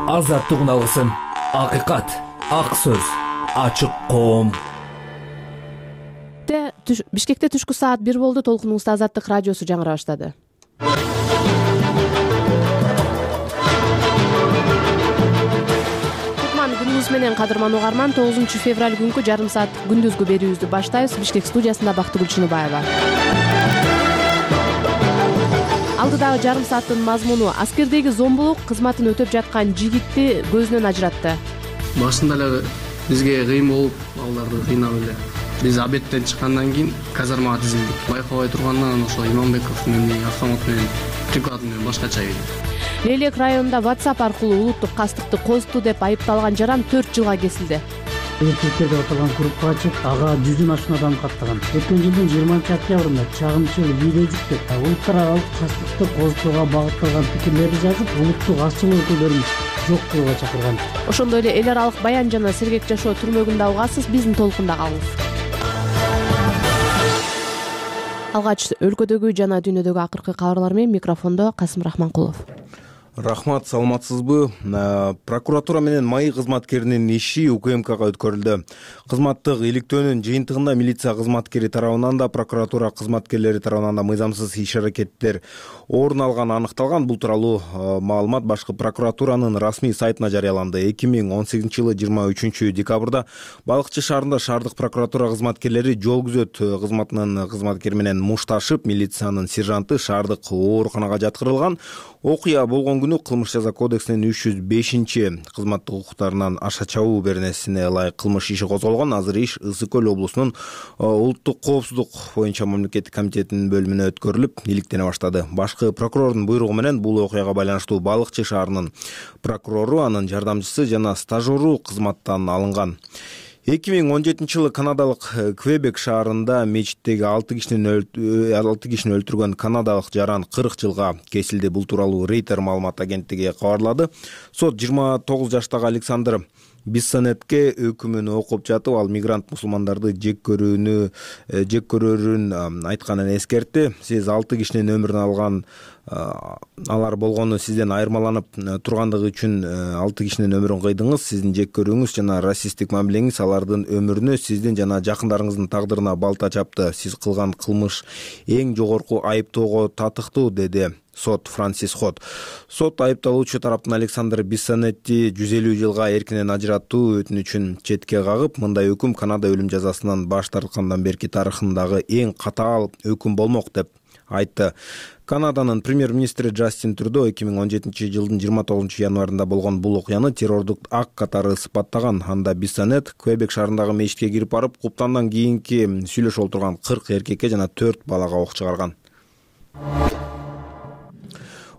Азаттык алгысын, акыйкат, ак сөз, ачык коом. Бишкекте түшкү саат 1 болду. Толкунуңузда Азаттык радиосу жаңыра баштады. Күнүңүз менен кадырман угарман, 9 февраль күнкү жарым саат күндүзгү берүүбүздү баштайбыз. Бишкек студиясында Бактыгүл Чыныбаева. Алдыдагы жарым сааттын мазмуну: аскердеги зомбулук кызматын өтөп жаткан жигитти көзүнөн ажыратты. Башында эле бизге кыйын болуп, аларды кыйнап эле биз обедтен чыккандан кийин казармага тизилдик. Байкабай тургандан ошо Иманбековдун автомат менен приклад менен башкача келди. Лелек районунда WhatsApp аркылуу улуттук кастыкты козду деп айыпталган жаран 4 жылга кесилди. Эркектер деп аталган группага чыгып, ага 100дөн ашуун адам каттаган. Өткөн жылдын 20-октябрында чагымчыл видео жүктөп, улуттар аралык кастыкты козтууга багытталган пикирлерди жазып, улуттук азчылык өкүлдөрүн жок кылууга чакырган. Ошондой эле эл аралык баян жана сергек жашоо түрмөгүндө угасыз. Биздин толкунда калыңыз. Алгач өлкөдөгү жана дүйнөдөгү акыркы кабарлар менен микрофондо Касым Рахманкулов. Рахмат, саламатсызбы? Прокуратура менен МАИ кызматкеринин иши УКМКга өткөрүлдү. Кызматтык иликтөөнүн жыйынтыгында милиция кызматкери тарабынан да, прокуратура кызматкерлери тарабынан да мыйзамсыз иш-аракеттер орун алганы аныкталган. Бул тууралуу маалымат башкы прокуратуранын расмий сайтына жарыяланды. 2018 жылы 23 декабрда Балыкчы шаарында шаардык прокуратура кызматкерлери жол күзөт кызматынын кызматкери менен мушташып, милициянын сержанты шаардык ооруканага жаткырылган. Окуя болгон күнү Кылмыш жаза кодексинин 305 кызматтык укуктарынан аша чабуу беренесине ылайык кылмыш иши козголгон. Азыр иш Ысык көл облусунун улуттук коопсуздук боюнча мамлекеттик комитетинин бөлүмүнө өткөрүлүп, иликтене баштады. Башкы прокурордун буйругу менен бул окуяга байланыштуу Балыкчы шаарынын прокурору, анын жардамчысы жана стажеру кызматтан алынган. 2017 жылы канадалык Квебек шаарында мечиттеги 6 кишини өлтүргөн канадалык жаран 40 жылга кесилди. Бул тууралуу Рейтер маалымат агенттиги кабарлады. Сот 29 жаштагы Александр Биссонетке өкүмүн окуп жатып, ал мигрант мусулмандарды жек көрөрүн айтканын эскертти. Сиз 6 кишинин өмүрүн алган алар болгону сизден айырмаланып тургандыгы үчүн 6 кишинин өмүрүн кыйдыңыз. Сиздин жек көрүүңүз жана расисттик мамилеңиз алардын өмүрүнө, сиздин жана жакындарыңыздын тагдырына балта чапты. Сиз кылган кылмыш эң жогорку айыптоого татыктуу, деди сот Франсис Хот. Сот айыпталуучу тараптын Александр Биссонетти 150 жылга эркинен ажыраттуу өтүнүчүн четке кагып, мындай өкүм Канада өлүм жазасынан баш тарткандан берки тарыхындагы эң катаал өкүм болмок деп айтты. Канаданын премьер-министри Джастин Трюдо 2017 жылдын 29 январында болгон бул окуяны террордук акт катары сыпаттаган. Анда Биссонет Квебек шаарындагы мечитке кирип барып, куптандан кийинки сүйлөшүп отурган 40 эркекке жана 4 балага ок чыгарган.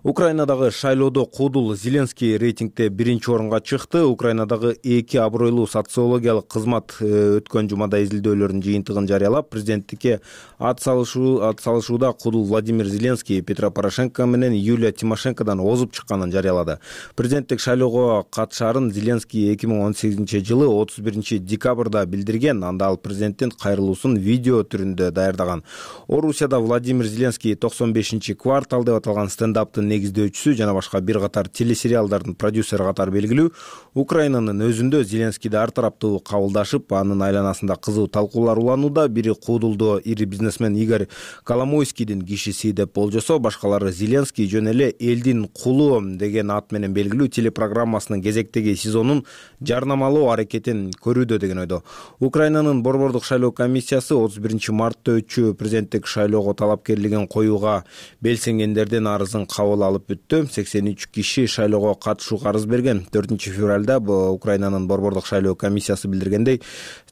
Украинадагы шайлоодо Кудул Зеленский рейтингде 1-орунга чыкты. Украинадагы 2 абройлуу социологиялык кызмат өткөн жумада изилдөөлөрдүн жыйынтыгын жарыялап, президенттикке ат салышууда Кудул Владимир Зеленский Петро Порошенко менен Юлия Тимошенкодан озуп чыкканын жарыялады. Президенттик шайлоого катышаарын Зеленский 2018 жылы 31 декабрда билдирген. Анда ал президенттин кайрылуусун видео түрүндө даярдаган. Орусияда Владимир Зеленский 95-квартал деп аталган стендаптын негиздөөчүсү жана башка бир катар телесериалдардын продюсери катары белгилүү. Украинанын өзүндө Зеленскийди ар тараптуу кабылдашып, анын айланасында кызуу талкуулар уланууда. Бири Кудулдо ири бизнесмен Игорь Коломойскийдин кишиси деп болжосо, башкалары Зеленский жөн эле элдин кулу деген ат менен белгилүү телепрограммасынын кезектеги сезонун жарнамалоо аракетин көрүүдө деген ойдо. Украинанын борбордук шайлоо комиссиясы 31 мартта өтчү президенттик шайлоого талапкерлигин коюуга белсенгендердин арызын кабыл алып бүттү. 83 киши шайлоого катышууга арыз берген. 4 февралда Украинанын борбордук шайлоо комиссиясы билдиргендей,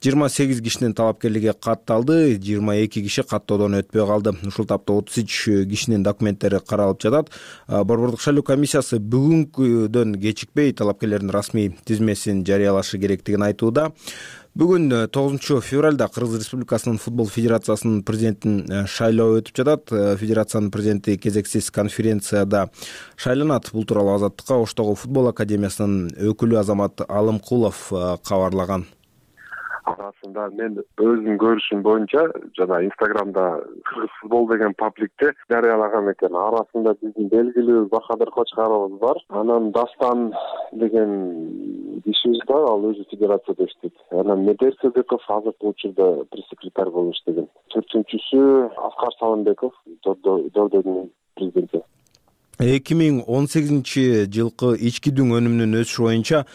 28 кишинин талапкерлиги катталды, 22 киши каттоодон өтпөй калды. Ушул тапта 33 кишинин документтери каралып жатат. Борбордук шайлоо комиссиясы бүгүнкүдөн кечикпей талапкерлердин расмий тизмесин жарыялашы керектигин айтууда. Бүгүн 9 февралда Кыргыз Республикасынын футбол федерациясынын президентин шайлоо өтүп жатат. Федерациянын президенти кезексиз конференцияда шайланат. Бул тууралуу Азаттыкка Оштогу футбол академиясынын өкүлү Азамат Алымкулов кабарлаган. арасында мен өзүмдүн көрүшүм боюнча жана Инстаграмда кыргыз футбол деген пабликте жарыялаган экен. Арасында биздин белгилүү Бахадыр Кочкаровубуз бар. Анан Дастан деген кишибиз бар, ал өзү федерацияда иштейт. Анан Медер Сыдыков азыркы учурда пресс-секретарь болуп иштеген. Төртүнчүсү Аскар Салымбеков, Дордойдун президенти. 2018 жылкы ички дүң өнүмүнүн өсүшү боюнча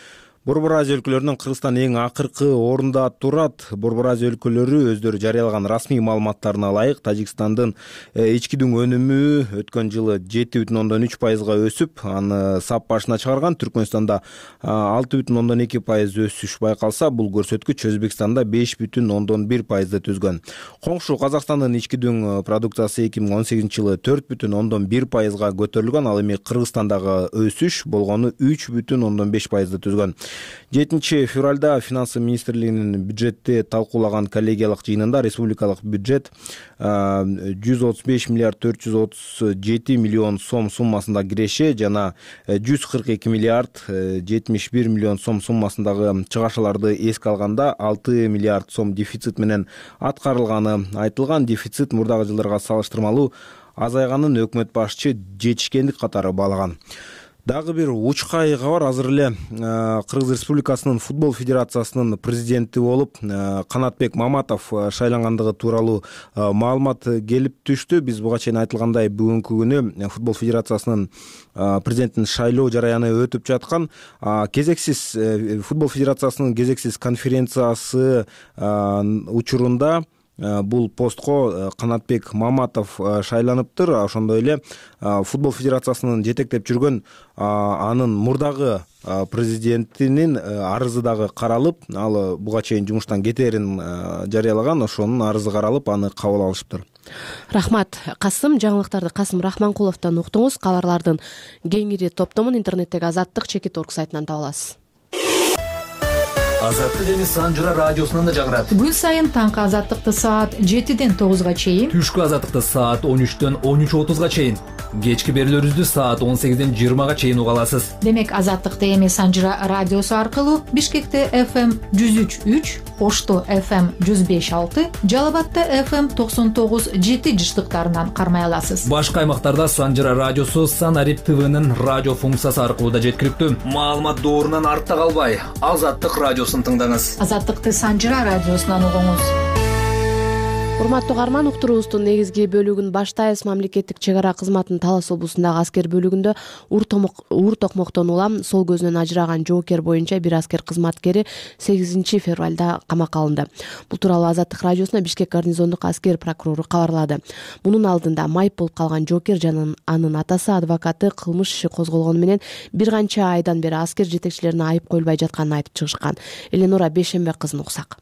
Борбор Азия өлкөлөрүнүн Кыргызстан эң акыркы орунда турат. Борбор Азия өлкөлөрү өздөрү жарыялаган расмий маалыматтарына ылайык Тажикстандын ички дүң өнүмү өткөн жылы 7,3%га өсүп, аны сап башына чыгарган. Түркмөнстанда 6,2% өсүш байкалса, бул көрсөткүч Өзбекстанда 5,1%ды түзгөн. Коңшу Казакстандын ички дүң продукциясы 2018 жылы 4,1%га көтөрүлгөн. Ал эми Кыргызстандагы өсүш болгону 3,5%ды түзгөн. 7 февралда Финансы министрлигинин бюджетти талкуулаган коллегиялык жыйынында республикалык бюджет 135 миллиард 437 миллион сом суммасында киреше жана 142 миллиард 71 миллион сом суммасындагы чыгашаларды эске алганда 6 миллиард сом дефицит менен аткарылганы айтылган. Дефицит мурдагы жылдарга салыштырмалуу азайганын өкмөт башчы жетишкендик катары баалаган. Дагы бир учкай кабар. Азыр эле Кыргыз Республикасынын футбол федерациясынын президенти болуп Канатбек Маматов шайлангандыгы тууралуу маалымат келип түштү. Биз буга чейин айтылгандай бүгүнкү күнү футбол федерациясынын президентин шайлоо жараяны өтүп жаткан. Кезексиз футбол федерациясынын кезексиз конференциясы учурунда бул постко Канатбек Маматов шайланыптыр. Ошондой эле футбол федерациясынын жетектеп жүргөн анын мурдагы президентинин арызы дагы каралып, ал буга чейин жумуштан кетерин жарыялаган. Ошонун арызы каралып, аны кабыл алышыптыр. Рахмат, Касым. Жаңылыктарды Касым Рахманкуловдон уктуңуз. Кабарлардын кеңири топтомун интернеттеги Азаттык.org сайтынан таба аласыз. Азаттык эми Санжыра радиосунан да жагырат. Күн сайын таңкы Азаттыкты саат 7ден 9га чейин, Түшкү Азаттыкты саат 13дөн 13:30га чейин, кечки берүүлөрүбүздү саат 18ден 20га чейин уга аласыз. Демек Азаттыкты эми Санжыра радиосу аркылуу Бишкекте FM 103.3, Ошто FM 105.6, Жалал Абадта FM 99.7 жыштыктарынан кармай аласыз. Башка аймактарда Санжыра радиосу Санарип ТВнын радио функциясы аркылуу да жеткиликтүү. Маалымат доорунан артта калбай, Азаттык радиосун тыңдаңыз. Азаттыкты Санжыра радиосунан угуңуз. Урматтуу угарман, уктуруубуздун негизги бөлүгүн баштайбыз. Мамлекеттик чек ара кызматынын Талас облусундагы аскер бөлүгүндө ур токмоктон улам сол көзүнөн ажыраган жоокер боюнча бир аскер кызматкери 8 февралда камакка алынды. Бул тууралуу Азаттык радиосуна Бишкек гарнизондук аскер прокурору кабарлады. Мунун алдында майып болуп калган жоокер жана анын атасы, адвокаты кылмыш иши козголгону менен бир канча айдан бери аскер жетекчилерине айып коюлбай жатканын айтып чыгышкан. Эленора Бешембек кызын уксак.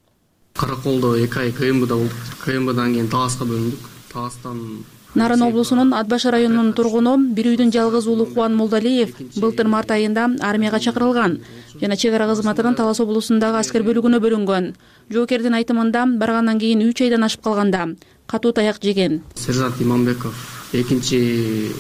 Караколдо 2 ай КМБда болдук. КМБдан кийин Таласка бөлүндүк. Таластан Нарын облусунун Ат баш районунун тургуну бир үйдүн жалгыз уулу Кубан Молдалиев былтыр март айында армияга чакырылган жана чек ара кызматынын Талас облусундагы аскер бөлүгүнө бөлүнгөн. Жоокердин айтымында баргандан кийин 3 айдан ашып калганда катуу таяк жеген. Сержант Иманбеков 2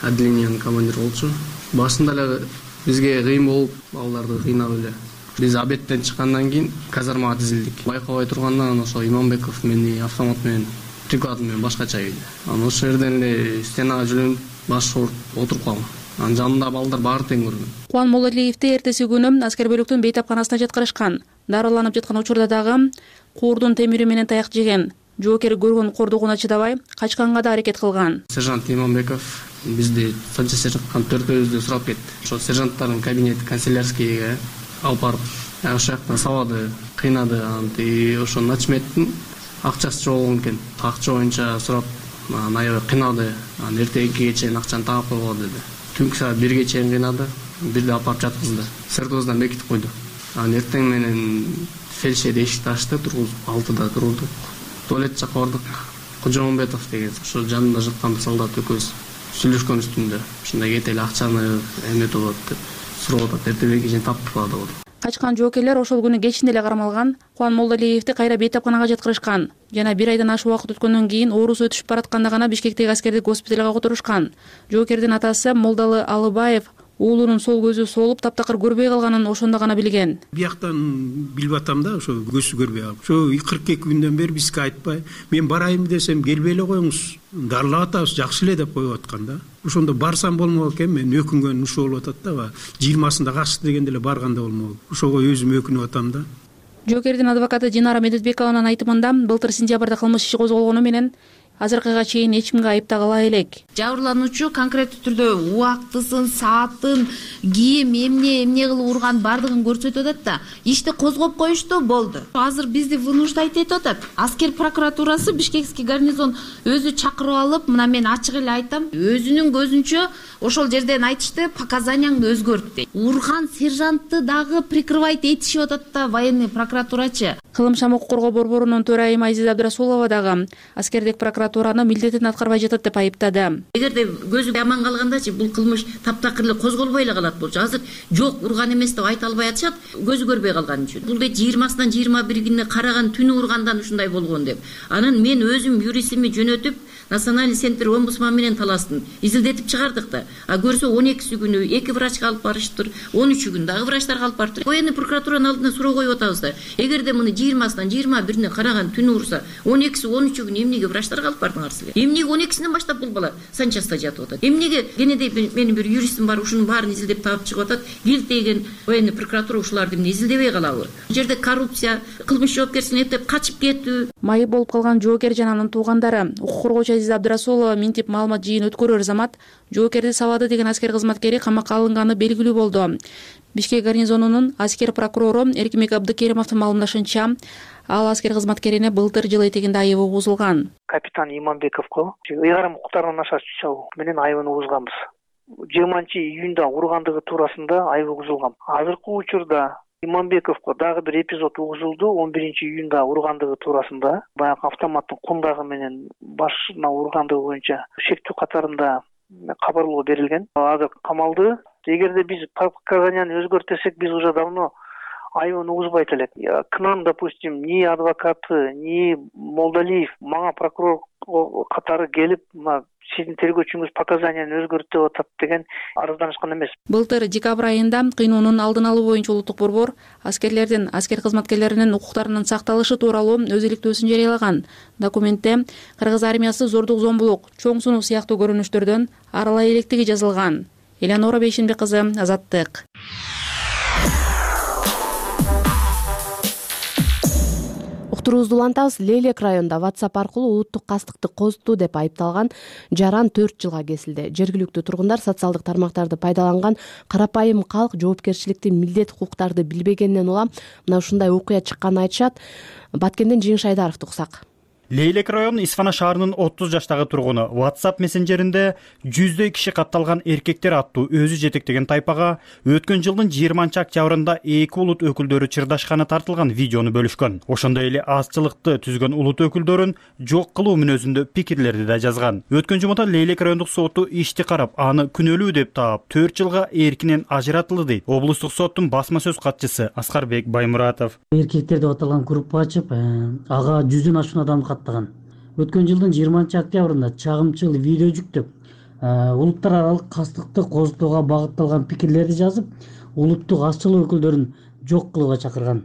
отделениянын командиры болчу. Башында эле бизге кыйын болуп, балдарды кыйнап эле биз обедтен чыккандан кийин казармага тизилдик. Байкабай тургандан ошо Иманбеков мени автомат менен приклад менен башкача ийди. Анан ошол жерден эле стенага жүлөнүп баш ооруп отуруп калгам. Анын жанында балдар баары тең көргөн. Кубан Молдалиевди эртеси күнү аскер бөлүктүн бейтапканасына жаткырышкан. Дарыланып жаткан учурда дагы куурдун темири менен таяк жеген. Жоокер көргөн кордугуна чыдабай качканга да аракет кылган. Сержант Иманбеков бизди санча сержанткан төртөөбүздү сурап кетти. Ошо сержанттардын кабинети канцелярскийге алып барып, ошол жакта сабады, кыйнады. Анан ошо начметтин акчасы жок болгон экен. Акча боюнча сурап, аябай кыйнады. Анан эртеге чейин акчаны таап койго деди. Түнкү саат 1ге чейин кыйнады. Бирде алып барып жаткызды. Сыртыбыздан бекитип койду. Анан эртең менен фельдшер эшикти ачты, тургузуп 6да турдук. Туалет жакка бардык. Кожомбетов деген ошо жанында жаткан солдат экөөбүз сүйлөшкөн үстүндө ушундай кетели акчаны эметип болот деп сурап атат. Эртеге чейин таптык деп. Качкан жоокерлер ошол күнү кечинде эле кармалган. Кубан Молдалиевди кайра бейтапканага жаткырышкан. Жана 1 айдан ашык убакыт өткөндөн кийин оорусу өтүшүп баратканда гана Бишкектеги аскердик госпиталга которушкан. Жоокердин атасы Молдалы Алыбаев уулунун сол көзү солуп таптакыр көрбөй калганын ошондо гана билген. Бияктан билип атам да, ошо көзү көрбөй калып. Ошо 42 күндөн бери бизге айтпай, мен барайым десем келбей эле коюңуз. Дарылап атабыз, жакшы эле деп коюп аткан да. Ошондо барсам болмок экен, мен өкүнгөн ушул болуп атат да. 20-сында качты дегенде эле барганда болмок. Ошого өзүм өкүнүп атам да. Жоокердин адвокаты Динара Медетбекованын айтымында былтыр сентябрда кылмыш иши козголгону менен азыркыга чейин эч кимге айып тагыла элек. Жабырлануучу конкреттүү түрдө убактысын, саатын, кийим, эмне кылып урган бардыгын көрсөтүп атат да. Ишти козгоп коюшту, болду. Азыр бизди вынуждать этип атат. Аскер прокуратурасы Бишкекский гарнизон өзү чакырып алып, мына мен ачык эле айтам, өзүнүн көзүнчө ошол жерден айтышты, показанияңды өзгөрт дейт. Урган сержантты дагы прикрывать этишип атат да военный прокуратурачы. Кылым шам укук коргоо борборунун төрайымы Айзиза Абдрасулова дагы аскердик прокуратураны милдетин аткарбай жатат деп айыптады. Эгерде көзү аман калгандачы бул кылмыш таптакыр эле козголбой эле калат болчу. Азыр жок, урган эмес деп айта албай атышат, көзү көрбөй калган үчүн. Бул дейт 20-сынан 21-ине караган түнү ургандан ушундай болгон деп. Анан мен өзүм юристими жөнөтүп Национальный центр омбудсман менен таластым. Изилдетип чыгардык да. А көрсө 12 күнү 2 врачка алып барыштыр, 13 күн дагы врачтарга алып барыптыр. Военный прокуратуранын алдына суроо коюп атабыз да. Эгерде муну 20-сынан 21-ине караган түнү урса, 12-си 13 күн эмнеге врачтарга алып бардыңар силер? Эмнеге 12-синен баштап бул бала санчаста жатып атат? Эмнеге кенедей менин бир юристим бар, ушунун баарын изилдеп таап чыгып атат. Килтеген военный прокуратура ушуларды эмне изилдебей калабы? Бул жерде коррупция, кылмыш жоопкерчилигин эптеп качып кетүү. Майып болуп калган жоокер жана анын туугандары укук коргоочу Айзиза Абдрасулова минтип маалымат жыйын өткөрөр замат жоокерди сабады деген аскер кызматкери камакка алынганы белгилүү болду. Бишкек гарнизонунун аскер прокурору Эркимбек Абдыкеримовдун маалымдашынча, ал аскер кызматкерине былтыр жыл этегинде айыбы угузулган. Капитан Иманбековго ыйгарым укуктарынан ашааш чалуу менен айыбын угузганбыз. 20-июнда ургандыгы туурасында айып угузулган. Азыркы учурда Иманбековго дагы бир эпизод угузулду. 11-июнда ургандыгы туурасында баягы автоматтын кундагы менен башына ургандыгы боюнча шектүү катарында кабарлоо берилген. Азыр камалды. Эгерде биз показанияны өзгөртсек, биз уже давно айыбын угузбайт элек. К нам, допустим, ни адвокаты, ни Молдалиев, мага прокурор катары келип, сиздин тергөөчүңүз показанияны өзгөрт деп атат деген арызданышкан эмес. Былтыр декабрь айында кыйноонун алдын алуу боюнча улуттук борбор аскерлердин, аскер кызматкерлеринин укуктарынын сакталышы тууралуу өз иликтөөсүн жарыялаган. Документте кыргыз армиясы зордук, зомбулук, чоң сунук сыяктуу көрүнүштөрдөн арылай электиги жазылган. Элеонора Бейшенбек кызы, Азаттык. Уктуруубузду улантабыз. Лейлек районунда WhatsApp аркылуу улуттук кастыкты козутту деп айыпталган жаран 4 жылга кесилди. Жергиликтүү тургундар социалдык тармактарды пайдаланган карапайым калк жоопкерчиликти, милдет, укуктарды билбегенинен улам мына ушундай окуя чыкканын айтышат. Баткенден Жеңиш Айдаровду уксак. Лейлек району Исфана шаарынын 30 жаштагы тургуну WhatsApp мессенджеринде жүздөй киши катталган эркектер аттуу өзү жетектеген тайпага өткөн жылдын 20-октябрында 2 улут өкүлдөрү чырдашканы тартылган видеону бөлүшкөн. Ошондой эле азчылыкты түзгөн улут өкүлдөрүн жок кылуу мүнөзүндө пикирлерди да жазган. Өткөн жумада Лейлек райондук соту ишти карап, аны күнөөлүү деп таап 4 жылга эркинен ажыратылды дейт облустук соттун басма сөз катчысы Аскарбек Баймуратов. Эркектер деп аталган группа ачып, ага 100дөн ашуун адам Өткөн жылдын 20-октябрында чагымчыл видео жүктөп, улуттар аралык кастыкты козутууга багытталган пикирлерди жазып, улуттук азчылык өкүлдөрүн жок кылууга чакырган.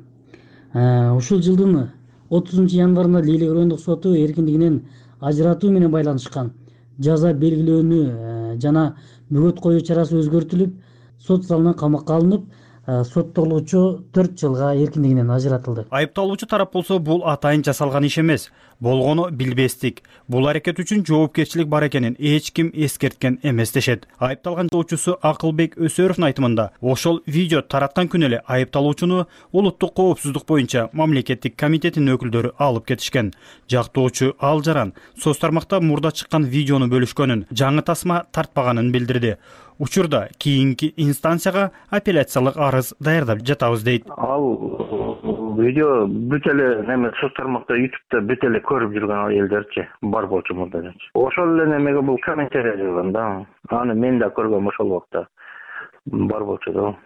Ушул жылдын 30 январында Лейлек райондук соту эркиндигинен ажыратуу менен байланышкан жаза белгилөөнү жана бөгөт коюу чарасы өзгөртүлүп, сот залынан камакка алынып, соттолуучу 4 жылга эркиндигинен ажыратылды. Айыпталуучу тарап болсо, бул атайын жасалган иш эмес. Болгону билбестик. Бул аракет үчүн жоопкерчилик бар экенин эч ким эскерткен эмес дешет. Айыпталган жоочусу Акылбек Өсөровдун айтымында, ошол видео тараткан күнү эле айыпталуучуну улуттук коопсуздук боюнча мамлекеттик комитетинин өкүлдөрү алып кетишкен. Жактоочу ал жаран соц тармакта мурда чыккан видеону бөлүшкөнүн, жаңы тасма тартпаганын билдирди. Учурда кийинки инстанцияга апелляциялык арыз даярдап жатабыз дейт. Ал видео бүт эле неме соц тармакта, YouTube'да бүт эле көрүп жүргөн элдерчи бар болчу мурда. Ошол эле немеге бул комментарий жазган да. Аны мен да көргөм ошол убакта. бар болчу да.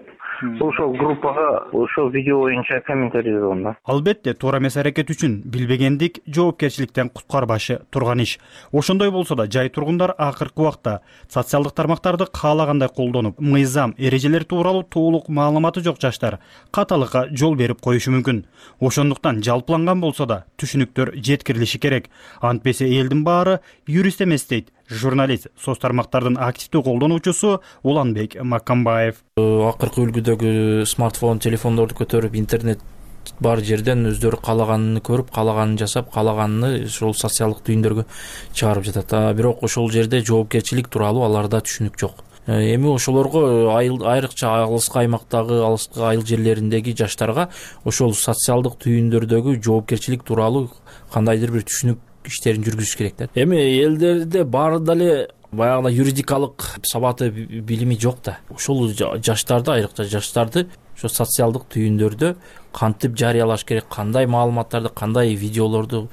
Ошол группага ошол видео боюнча комментарий жазгам да. Албетте, туура эмес аракет үчүн билбегендик жоопкерчиликтен куткарбашы турган иш. Ошондой болсо да жай тургундар акыркы убакта социалдык тармактарды каалагандай колдонуп, мыйзам, эрежелер тууралуу толук маалыматы жок жаштар каталыкка жол берип коюшу мүмкүн. Ошондуктан жалпыланган болсо да түшүнүктөр жеткирилиши керек. Антпесе элдин баары юрист эмес дейт журналист, соц тармактардын активдүү колдонуучусу Уланбек Маккамбаев. Акыркы үлгүдөгү смартфон, телефондорду көтөрүп интернет бар жерден өздөрү каалаганын көрүп, каалаганын жасап, каалаганын ошол социалдык түйүндөргө чыгарып жатат. Бирок ошол жерде жоопкерчилик тууралуу аларда түшүнүк жок. Эми ошолорго айрыкча алыскы аймактагы, алыскы айыл жерлериндеги жаштарга ошол социалдык түйүндөрдөгү жоопкерчилик тууралуу кандайдыр бир түшүнүк иштерин жүргүзүш керек да. Эми элдерде баары деле баягы юридикалык сабаты, билими жок да. Ошол жаштарды, айрыкча жаштарды ошо социалдык түйүндөрдө кантип жарыялаш керек, кандай маалыматтарды, кандай видеолорду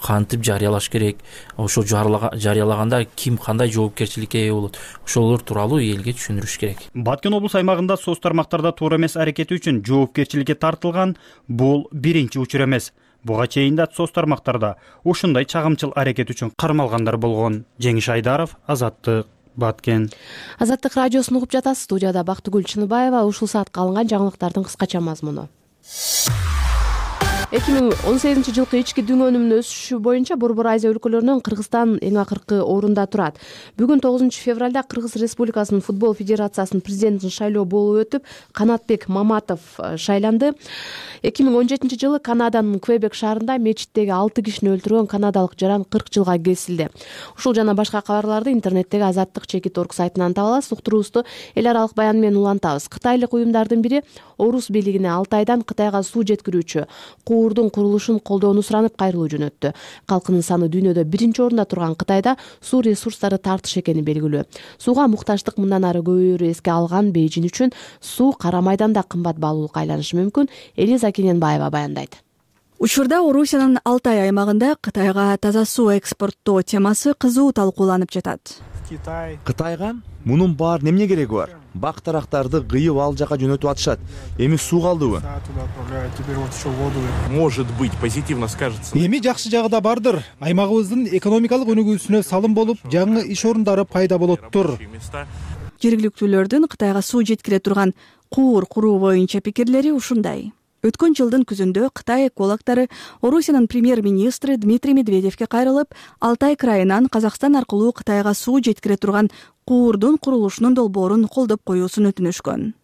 кантип жарыялаш керек, ошо жарыялаганда ким кандай жоопкерчиликке ээ болот, ошолор тууралуу элге түшүндүрүш керек. Баткен облус аймагында соц тармактарда туура эмес аракети үчүн жоопкерчиликке тартылган бул биринчи учур эмес. Буга чейин да соц тармактарда ушундай чагымчыл аракет үчүн кармалгандар болгон. Жеңиш Айдаров, Азаттык, Баткен. Азаттык радиосун угуп жатасыз. Студияда Бактыгүл Чыныбаева. Ушул саатка алынган жаңылыктардын кыскача мазмуну. 2018 жылкы ички дүң өнүмүнүн өсүшү боюнча Борбор Азия өлкөлөрүнөн Кыргызстан эң акыркы орунда турат. Бүгүн 9 февралда Кыргыз Республикасынын футбол федерациясынын президентин шайлоо болуп өтүп, Канатбек Маматов шайланды. 2017 жылы Канаданын Квебек шаарында мечиттеги 6 кишини өлтүргөн канадалык жаран 40 жылга кесилди. Ушул жана башка кабарларды интернеттеги Азаттык.org сайтынан таба аласыз. Уктуруубузду эл аралык баян менен улантабыз. Кытайлык уюмдардын бири Орус бийлигине Алтайдан Кытайга суу жеткирүүчү куурдун курулушун колдоону суранып кайрылуу жөнөттү. Калкынын саны дүйнөдө биринчи орунда турган Кытайда суу ресурстары тартыш экени белгилүү. Сууга муктаждык мындан ары көбөйөрү эске алган Бейжин үчүн суу Кара майданда кымбат баалуулукка айланышы мүмкүн. Элиза Кененбаева баяндайт. Учурда Орусиянын Алтай аймагында Кытайга таза суу экспорттоо темасы кызуу талкууланып жатат. Кытайга мунун баарын эмне кереги бар? Бак тарактарды кыйып ал жака жөнөтүп атышат. Эми суу калдыбы? Может быть, позитивно скажется. Эми жакшы жагы да бардыр. Аймагыбыздын экономикалык өнүгүүсүнө салым болуп, жаңы иш орундары пайда болоттур. Жергиликтүүлөрдүн Кытайга суу жеткире турган куур куруу боюнча пикирлери ушундай. Өткөн жылдын күзүндө Кытай экологдору Орусиянын премьер-министри Дмитрий Медведевке кайрылып, Алтай крайынан Казакстан аркылуу Кытайга суу жеткире турган куурдун курулушунун долбоорун колдоп коюусун өтүнүшкөн.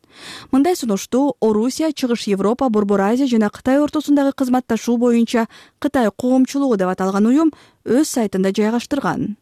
Мындай сунушту Орусия, Чыгыш Европа, Борбор Азия жана Кытай ортосундагы кызматташуу боюнча Кытай коомчулугу деп аталган уюм өз сайтында жайгаштырган.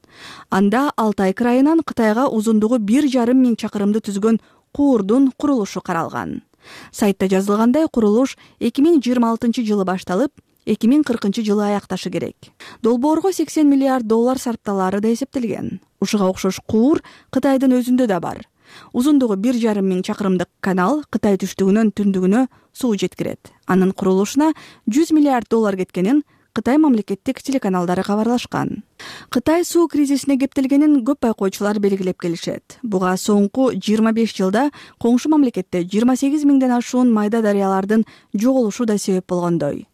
Анда Алтай крайынан Кытайга узундугу 1,5 миң чакырымды түзгөн куурдун курулушу каралган. Сайтта жазылгандай, курулуш 2026 жылы башталып, 2040 жылы аякташы керек. Долбоорго 80 миллиард доллар сарпталары да эсептелген. Ушуга окшош куур Кытайдын өзүндө да бар. Узундугу 1,5 миң чакырымдык канал Кытай түштүгүнөн түндүгүнө суу жеткирет. Анын курулушуна 100 миллиард доллар кеткенин Кытай мамлекеттик телеканалдары кабарлашкан. Кытай суу кризисине кептелгенин көп байкоочулар белгилеп келишет. Буга соңку 25 жылда коңшу мамлекетте 28 миңден ашуун майда дарыялардын жоголушу да себеп болгондой.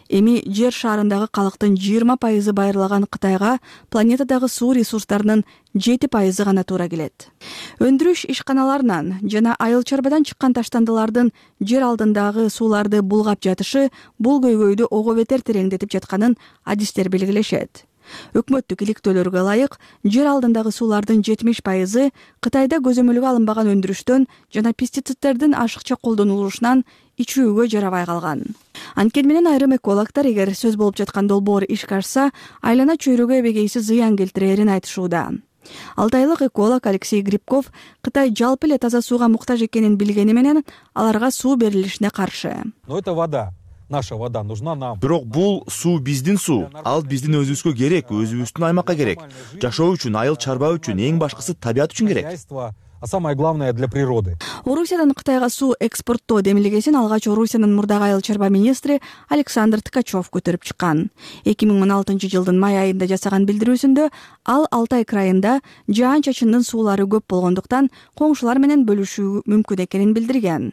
Эми жер шарындагы калктын 20% байырлаган Кытайга планетадагы суу ресурстарынын 7% гана туура келет. Өндүрүш ишканаларынан жана айыл чарбадан чыккан таштандылардын жер алдындагы сууларды булгап жатышы бул көйгөйдү ого бетер тереңдетип жатканын адистер белгилешет. Өкмөттүк иликтөөлөргө ылайык, жер алдындагы суулардын 70% Кытайда көзөмөлгө алынбаган өндүрүштөн жана пестициддердин ашыкча колдонулушунан ичүүгө жарабай калган. Анткени менен айрым экологдор эгер сөз болуп жаткан долбоор ишке ашса, айлана чөйрөгө эбегейсиз зыян келтирерин айтышууда. Алтайлык эколог Алексей Грибков Кытай жалпы эле таза сууга муктаж экенин билгени менен аларга суу берилишине каршы. Но это вода. Наша вода нужна нам. Бирок бул суу биздин суу. Ал биздин өзүбүзгө керек, өзүбүздүн аймакка керек. Жашоо үчүн, айыл чарба үчүн, эң башкысы табият үчүн керек. а самое главное для природы. Орусиядан Кытайга суу экспорттоо демилгесин алгач Орусиянын мурдагы айыл чарба министри Александр Ткачев көтөрүп чыккан. 2016-жылдын май айында жасаган билдирүүсүндө ал Алтай крайында жаан-чачындын суулары көп болгондуктан коңшулар менен бөлүшүү мүмкүн экенин билдирген.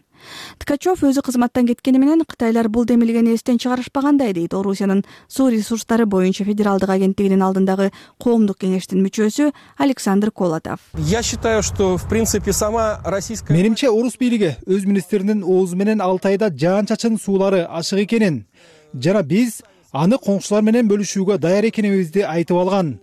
Ткачев өзү кызматтан кеткени менен Кытайлар бул демилгени эстен чыгарышпагандай дейт Орусиянын суу ресурстары боюнча федералдык агенттигинин алдындагы коомдук кеңештин мүчөсү Александр Колотов. Я считаю, что в принципе сама российская... Менимче орус бийлиги өз министринин оозу менен Алтайда жаан-чачын суулары ашык экенин жана биз аны коңшулар менен бөлүшүүгө даяр экенибизди айтып алган.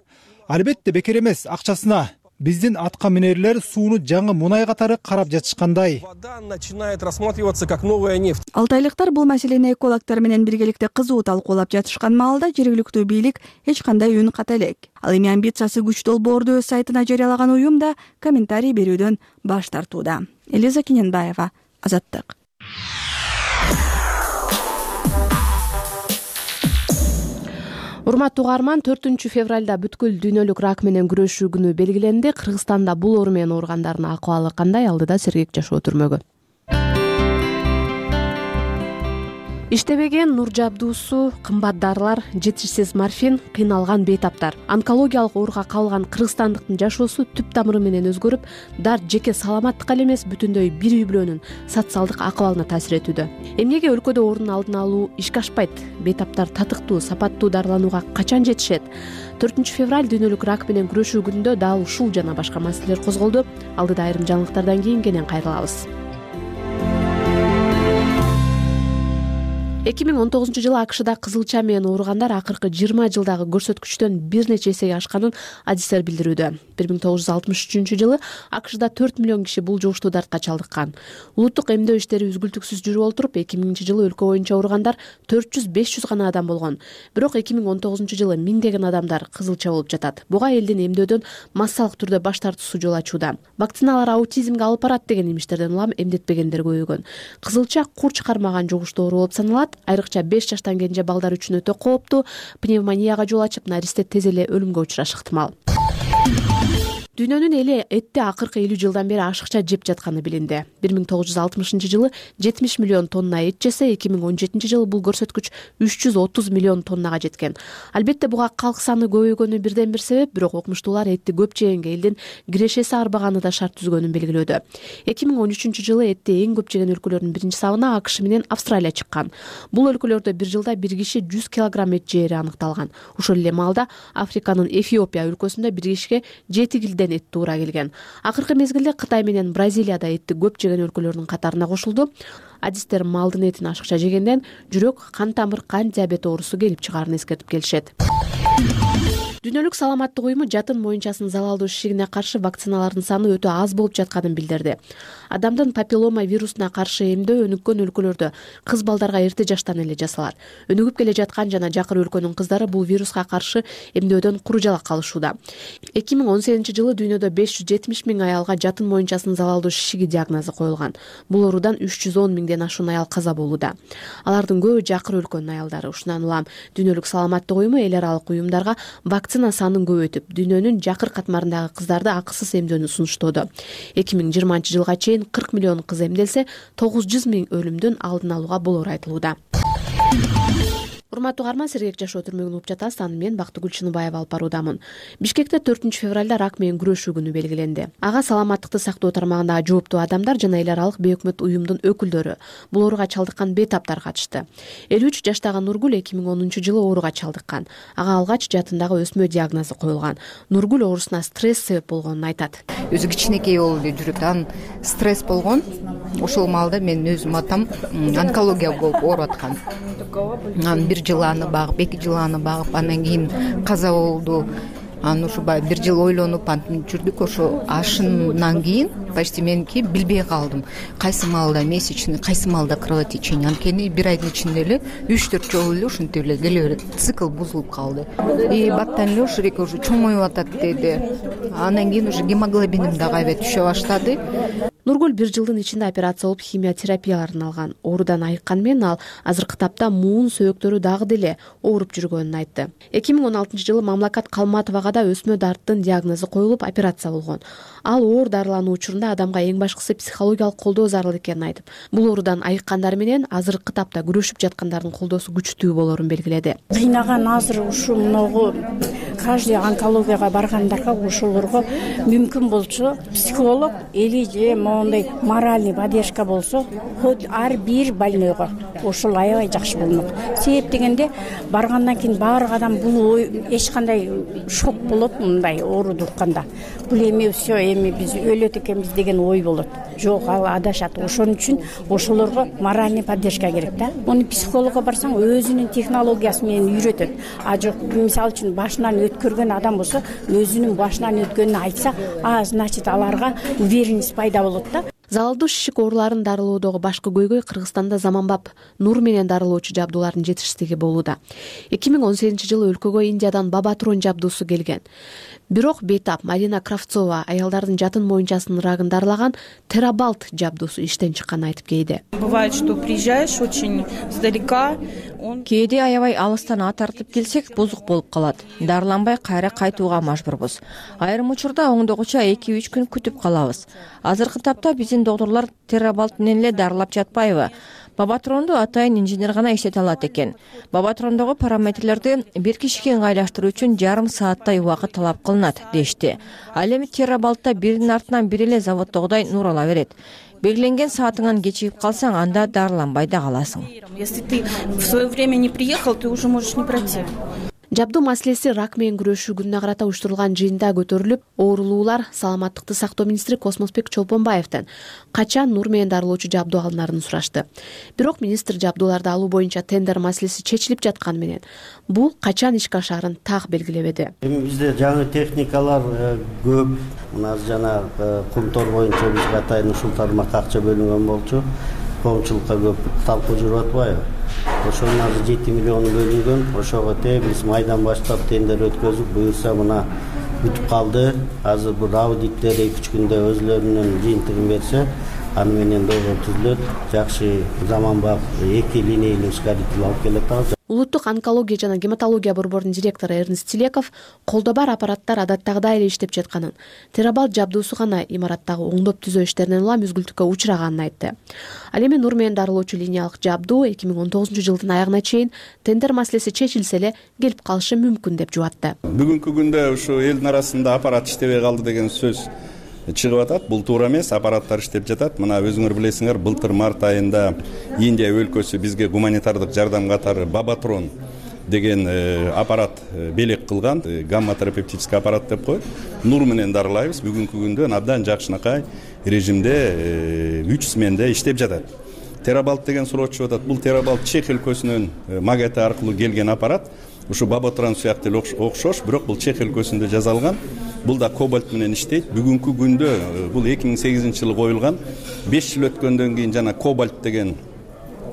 Албетте бекер эмес, акчасына. Биздин атка минерлер сууну жаңы мунай катары карап жатышкандай. Вода начинает рассматриваться как новая нефть. Алтайлыктар бул маселени экологдор менен биргеликте кызуу талкуулап жатышкан маалда жергиликтүү бийлик эч кандай үн ката элек. Ал эми амбициясы күчтүү долбоорду өз сайтына жарыялаган уюм да комментарий берүүдөн баш тартууда. Элиза Кененбаева, Азаттык. Урматтуу угарман, 4-февралда бүткүл дүйнөлүк рак менен күрөшүү күнү белгиленди. Кыргызстанда бул оору менен ооругандардын акыбалы кандай? Алдыда Сергек жашоо түрмөгү. Иштебеген нур жабдуусу, кымбат дарылар, жетишсиз морфин, кыйналган бейтаптар. Онкологиялык ооруга кабылган кыргызстандыктын жашоосу түп тамыры менен өзгөрүп, дар жеке саламаттыкка эле эмес, бүтүндөй бир үй бүлөнүн социалдык акыбалына таасир этүүдө. Эмнеге өлкөдө оорунун алдын алуу ишке ашпайт? Бейтаптар татыктуу, сапаттуу дарыланууга качан жетишет? 4-февраль дүйнөлүк рак менен күрөшүү күнүндө дал ушул жана башка маселелер козголду. Алдыда айрым жаңылыктардан кийин кенен кайрылабыз. 2019-жылы АКШда кызылча менен ооругандар акыркы 20 жылдагы көрсөткүчтөн бир нече эсеге ашканын адистер билдирүүдө. 1963-жылы АКШда 4 миллион киши бул жугуштуу дартка чалдыккан. Улуттук эмдөө иштери үзгүлтүксүз жүрүп олтуруп, 2000-жылы өлкө боюнча ооругандар 400-500 гана адам болгон. Бирок 2019-жылы миңдеген адамдар кызылча болуп жатат. Буга элдин эмдөөдөн массалык түрдө баш тартуусу жол ачууда. Вакциналар аутизмге алып барат деген имиштерден улам эмдетпегендер көбөйгөн. Кызылча кур чыгармаган жугуштуу оору болуп саналат. Айрыкча 5 жаштан кенже балдар үчүн өтө кооптуу, пневмонияга жол ачып, наристе тез эле өлүмгө учурашы ыктымал. Дүйнөнүн эли этти акыркы 50 жылдан бери ашыкча жеп жатканы билинди. 1960-жылы 70 миллион тонна эт жесе, 2017-жылы бул көрсөткүч 330 миллион тоннага жеткен. Албетте буга калк саны көбөйгөнү бирден бир себеп, бирок окумуштуулар этти көп жегенге элдин кирешеси арбаганы да шарт түзгөнүн белгилөөдө. 2013-жылы этти эң көп жеген өлкөлөрдүн биринчи сабына АКШ менен Австралия чыккан. Бул өлкөлөрдө бир жылда бир киши 100 килограмм эт жери аныкталган. Ошол эле маалда Африканын Эфиопия өлкөсүндө бир кишиге 7 килден эт туура келген. Акыркы мезгилде Кытай менен Бразилияда этти көп жеген өлкөлөрдүн катарына кошулду. Адистер малдын этин ашыкча жегенден жүрөк, кан тамыр, кант диабети оорусу келип чыгаарын эскертип келишет. Дүйнөлүк саламаттык уюму жатын моюнчасынын залалдуу шишигине каршы вакциналардын саны өтө аз болуп жатканын билдирди. Адамдын папиллома вирусуна каршы эмдөө өнүккөн өлкөлөрдө кыз балдарга эрте жаштан эле жасалат. Өнүгүп келе жаткан жана жакыр өлкөнүн кыздары бул вируска каршы эмдөөдөн куру жалак калышууда. 2018-жылы дүйнөдө 570 миң аялга жатын моюнчасынын залалдуу шишиги диагнозу коюлган. Бул оорудан 310 миңден ашуун аял каза болууда. Алардын көбү жакыр өлкөнүн аялдары. Ушундан улам дүйнөлүк саламаттык уюму эл аралык уюмдарга вакцина санын көбөйтүп, дүйнөнүн жакыр катмарындагы кыздарды акысыз эмдөөнү сунуштоодо. 2020-жылга чейин 40 миллион кыз эмделсе, 900 миң өлүмдүн алдын алууга болору айтылууда. Урматтуу угарман, Сергек жашоо түрмөгүн угуп жатасыз. Аны мен Бактыгүл Чыныбаева алып баруудамын. Бишкекте 4-февралда рак менен күрөшүү күнү белгиленди. Ага саламаттыкты сактоо тармагындагы жооптуу адамдар жана эл аралык бейөкмөт уюмдун өкүлдөрү, бул ооруга чалдыккан бейтаптар катышты. 53 жаштагы Нургүл 2010-жылы ооруга чалдыккан. Ага алгач жатындагы өсмө диагнозу коюлган. Нургүл оорусуна стресс себеп болгонун айтат. Өзү кичинекей болду, жүрөктөн стресс болгон. Ошол маалда мен өзүм атам онкология болуп ооруп аткан. Бир жыл аны багып, 2 жыл аны багып, андан кийин каза болду. Аны ушубай бир жыл ойлонуп антип жүрдүк. Ошо ашынан кийин почти меники билбей калдым. Кайсы маалда месячный, кайсы маалда кровотечение. Анткени бир айдын ичинде эле 3-4 жолу эле ушинтип эле келе берет. Цикл бузулуп калды. Баттан эле ушу уже чоңоюп атат деди. Андан кийин уже гемоглобиним дагы аябай түшө баштады. Нургүл 1 жылдын ичинде операция болуп химия терапияларын алган. Оорудан айыккан менен ал азыркы тапта муун сөөктөрү дагы деле ооруп жүргөнүн айтты. 2016-жылы Мамлакат Калматовага да өсмө дарттын диагнозу коюлуп операция болгон. Ал оор дарылануу учурунда адамга эң башкысы психологиялык колдоо зарыл экенин айтып, бул оорудан айыккандар менен азыркы тапта күрөшүп жаткандардын колдоосу күчтүү болорун белгиледи. Кыйнаган азыр ушу могу каждый онкологияга баргандарга ошолорго мүмкүн болчу психолог или же мондай моральный поддержка болсо, хоть ар бир больнойго ошол аябай жакшы болмок. Себеп дегенде баргандан кийин баардык адам бул эч кандай шок болот, мындай ооруду укканда. Бул эми все эми биз өлөт экенбиз деген ой болот. Жок, ал адашат. Ошон үчүн ошолорго моральный поддержка керек да. Муну психологко барсаң өзүнүн технологиясы менен үйрөтөт. А жок, мисалы үчүн башынан өткөргөн адам болсо, өзүнүн башынан өткөнүн айтса, значит аларга уверенность пайда болот да. Залалдуу шишик ооруларын дарылоодогу башкы көйгөй Кыргызстанда заманбап нур менен дарылоочу жабдуулардын жетишсиздиги болууда. 2018-жылы өлкөгө Индиядан Бабатрон жабдуусу келген. Бирок бейтап Марина Кравцова аялдардын жатын моюнчасынын рагын дарылаган Терабалт жабдуусу иштен чыкканын айтып кейди. Бывает, что приезжаешь очень издалека. Кээде аябай алыстан ат тартып келсек, бузук болуп калат. Дарыланбай кайра кайтууга мажбурбуз. Айрым учурда оңдогуча 2-3 күн күтүп калабыз. Азыркы тапта биздин доктурлар Терабалт менен эле дарылап жатпайбы? Бабатронду атайын инженер гана иштете алат экен. Бабатрондогу параметрлерди бир кишиге ыңгайлаштыруу үчүн жарым сааттай убакыт талап кылынат, дешти. Ал эми Терабалтта биринин артынан бири эле заводдогудай нур ала берет. Белгиленген саатыңан кечигип калсаң, анда дарыланбай да каласың. Если ты в свое время не приехал, ты уже можешь не пройти. Жабдуу маселеси рак менен күрөшүү күнүнө карата уюштурулган жыйында көтөрүлүп, оорулуулар саламаттыкты сактоо министри Космосбек Чолпонбаевден качан нур менен дарылоочу жабдуу алынарын сурашты. Бирок министр жабдууларды алуу боюнча тендер маселеси чечилип жатканы менен бул качан ишке ашаарын так белгилебеди. Эми бизде жаңы техникалар көп. Мына жана кумтор боюнча бизге атайын ушул тармакка акча бөлүнгөн болчу. Коомчулукка көп талкуу жүрүп атпайбы? Ошонун азыр 7 миллион бөлүнгөн. Ошого биз майдан баштап тендер өткөзүп, буюрса мына бүтүп калды. Азыр бул аудиттер 2-3 күндө өзлөрүнүн жыйынтыгын берсе, аны менен долбоор түзүлөт. Жакшы заманбап 2 линейлүү ускоритель алып келет. Улуттук онкология жана гематология борборунун директору Эрнст Тилеков колдо бар аппараттар адаттагыдай эле иштеп жатканын, Терабалт жабдуусу гана имараттагы оңдоп түзөө иштеринен улам үзгүлтүккө учураганын айтты. Ал эми нур менен дарылоочу линиялык жабдуу 2019-жылдын аягына чейин тендер маселеси чечилсе эле келип калышы мүмкүн деп жубатты. Бүгүнкү күндө ушу элдин арасында аппарат иштебей калды деген сөз чыгып атат. Бул туура эмес, аппараттар иштеп жатат. Мына өзүңөр билесиңер, былтыр март айында Индия өлкөсү бизге гуманитардык жардам катары Бабатрон деген аппарат белек кылган, гамма-терапевтический аппарат деп коет. Нур менен дарылайбыз. Бүгүнкү күндө абдан жакшынакай режимде 3 сменде иштеп жатат. Терабалт деген суроочу атат. Бул Терабалт Чех өлкөсүнүн магети аркылуу келген аппарат. Ушу Бабатрон сыяктуу окшош, бирок бул Чех өлкөсүндө жасалган. Бул да кобальт менен иштейт. Бүгүнкү күндө бул 2008-жылы коюлган. 5 жыл өткөндөн кийин жана кобальт деген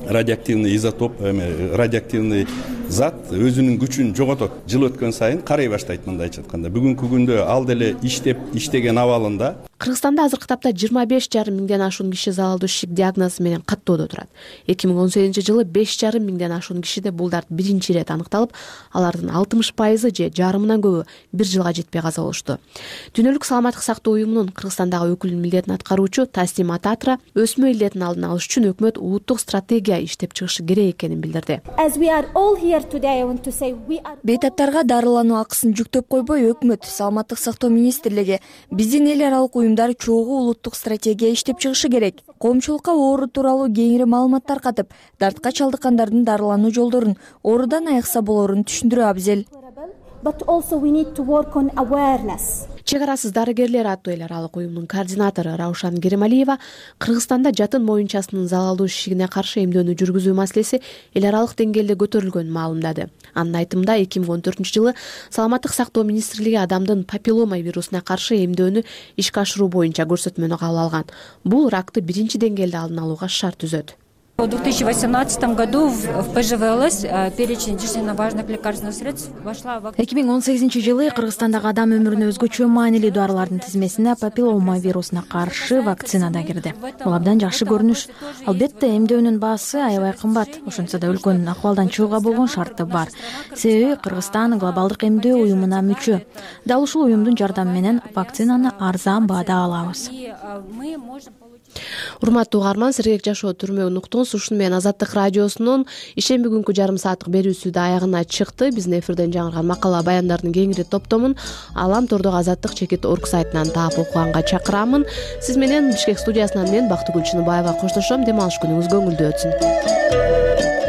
радиоактивный изотоп, радиоактивный зат өзүнүн күчүн жоготот. Жыл өткөн сайын карай баштайт, мындайча айтканда. Бүгүнкү күндө ал деле иштеген абалында. Кыргызстанда азыркы тапта 25,5 миңден ашуун киши залалдуу шишик диагнозу менен каттоодо турат. 2018-жылы 5,5 миңден ашуун кишиде бул дарт биринчи ирет аныкталып, алардын 60% же жарымынан көбү 1 жылга жетпей каза болушту. Дүйнөлүк саламаттык сактоо уюмунун Кыргызстандагы өкүлүнүн милдетин аткаруучу Таслим Ататра өсмө илдетин алдын алыш үчүн өкмөт улуттук стратегия иштеп чыгышы керек экенин билдирди. Бейтаптарга дарылануу акысын жүктөп койбой, өкмөт, саламаттык сактоо министрлиги, биздин эл аралык уюмдар чогуу улуттук стратегия иштеп чыгышы керек. Коомчулукка оору тууралуу кеңири маалымат катып, дартка чалдыккандардын дарылануу жолдорун, оорудан айыкса болорун түшүндүрүү абзел. Чек арасыз дарыгерлер аттуу эл аралык уюмдун координатору Раушан Керималиева Кыргызстанда жатын моюнчасынын залалдуу шишигине каршы эмдөөнү жүргүзүү маселеси эл аралык деңгээлде көтөрүлгөнүн маалымдады. Анын айтымында 2014-жылы саламаттык сактоо министрлиги адамдын папиллома вирусуна каршы эмдөөнү ишке ашыруу боюнча көрсөтмөнү кабыл алган. Бул ракты биринчи деңгээлде алдын алууга шарт түзөт. В 2018 году в ПЖВЛС перечень жизненно важных лекарственных средств вошла вакцина. 2018-жылы Кыргызстандагы адам өмүрүнө өзгөчө маанилүү дарылардын тизмесине папиллома вирусуна каршы вакцина да кирди. Бул абдан жакшы көрүнүш. Албетте эмдөөнүн баасы аябай кымбат. Ошентсе да өлкөнүн акыбалдан чыгууга болгон шарты бар. Себеби Кыргызстан глобалдык эмдөө уюмуна мүчө. Дал ушул уюмдун жардамы менен вакцинаны арзан баада алабыз. Урматтуу угарман, сергек жашоо түрмөгүн уктуңуз. Ушуну менен Азаттык радиосунун ишемби күнкү жарым сааттык берүүсү да аягына чыкты. Биздин эфирден жаңырган макала баяндардын кеңири топтомун Алам тордогу Азаттык-org сайтынан таап окуганга чакырамын. Сиз менен Бишкек студиясынан мен Бактыгүл Чыныбаева коштошом. Дем алыш күнүңүз көңүлдүү өтсүн.